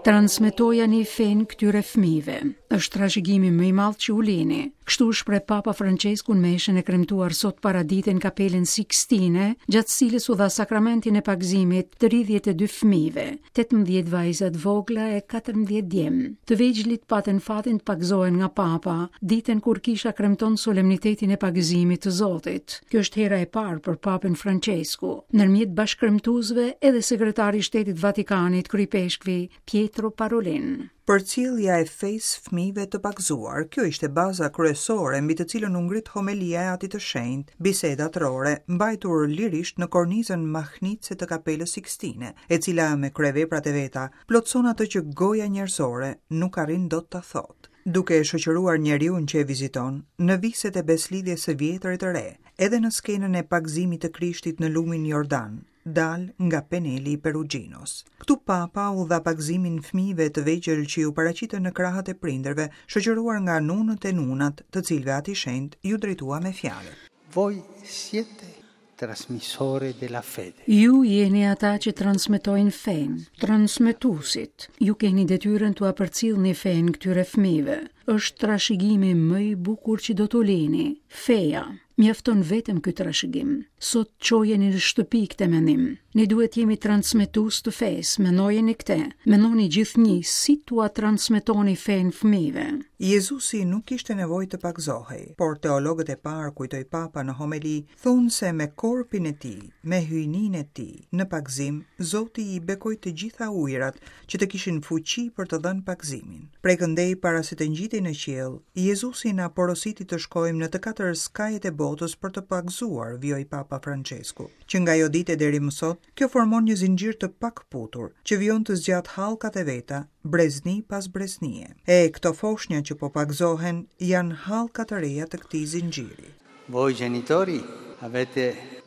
Transmetojani fenë këtyre fëmijëve. Është trashëgimi më i madh që u lini. Kështu u shpreh Papa Françesku në meshën e kremtuar sot paradite në Kapelën Sikstine, gjatë së cilës u dha sakramentin e pagëzimit 32 fëmijëve, 18 vajza të vogla e 14 djem. Të vegjlit patën fatin të pagëzohen nga Papa, ditën kur kisha kremton solemnitetin e pagëzimit të Zotit. Kjo është hera e parë për Papën Françesku. Ndërmjet bashkëkremtuesve edhe sekretari i Shtetit të Vatikanit, Kryeipeshkvi Pietro Parolin. Përcjellja e fesë fëmijëve të pagëzuar, kjo ishte baza kryesore mbi të cilën u ngrit homelia e Atit të Shenjtë, biseda atërore, mbajtur lirisht në kornizën mahnitëse të Kapelës Sikstine, e cila me kryeveprat e veta plotëson atë që goja njerëzore nuk arrin dot ta thotë. Duke e shoqëruar njeriun që e viziton, në viset e besëlidhjes së vjetër e të re, edhe në skenën e pagëzimit të Krishtit në lumin Jordan, dalë nga peneli i Peruginos. Këtu Papa u dha pagëzimin fëmijëve të vegjël që iu paraqitën në krahët e prindërve, shoqëruar nga nunët e nunat, të cilëve Ati i Shenjtë iu drejtua me fjalët. Voi siete trasmissori della fede. Ju jeni ata që transmetojnë fenë, transmetuesit. Ju keni detyrën t'ua përcillni fenë këtyre fëmijëve. Është trashëgimi më i bukur që do t'u lini, feja. Mjafton vetëm ky trashëgim. Sot çojeni në shtëpi këtë mendim. Ne duhet të jemi transmetues të fesë, mendojeni këtë. Mendoni gjithnjë si t'ua transmetoni fenë fëmijëve. Jezusi nuk kishte nevojë të pagëzohej, por teologët e parë, kujtoi Papa në homeli, thonë se me korpin e tij, me hyjninë e tij, në pagëzim, Zoti i bekoi të gjitha ujërat që të kishin fuqi për të dhënë pagëzimin. Prej këndej para se të ngjitej në qiell, Jezusi na porositi të shkojmë në të katër skajet e botës për të pagëzuar, vijoi Papa Françesku. Që nga ajo ditë e deri më sot, kjo formon një zinxhir të pakëputur, që vijon të zgjatë hallkat e veta, brezni pas breznie. E, këto foshnja që po pagëzohen janë hallka të reja të këtij zinxhiri. Voi genitori avete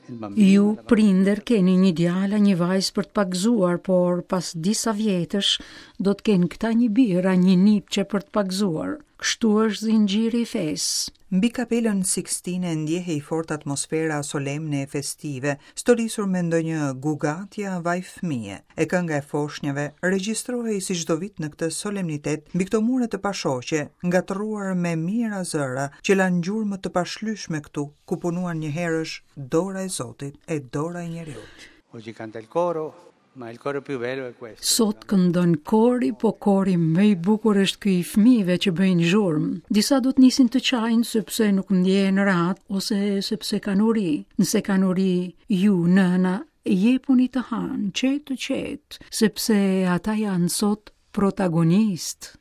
il bambino. Ju prindër keni një djalë a një vajzë për të pagëzuar, por pas disa vjetësh do të kenë këta një bir a një nipçe për të pagëzuar. Kështu është zinxhiri i fesë. Mbi Kapelën Sikstine ndjehej fort atmosfera solemne e festive, stolisur me ndonjë gugatje a vaj fëmije. E kënga e foshnjave regjistrohej si çdo vit në këtë solemnitet mbi këto mure të pashoqe, ngatërruar me mijëra zëra që lanë gjurmë të pashlyeshme këtu, ku punuan njëherësh dora e Zotit e dora e njeriut. Oggi canta il coro, ma il coro più bello è questo. Sot këndon kori, po kori më i bukur është ky i fëmijëve që bëjnë zhurmë. Disa do të nisin të qajnë sepse nuk ndjehen rehat ose sepse kanë uri. Nëse kanë uri, ju nëna jepuni të hanë, qetë qetë, sepse ata janë sot protagonistë.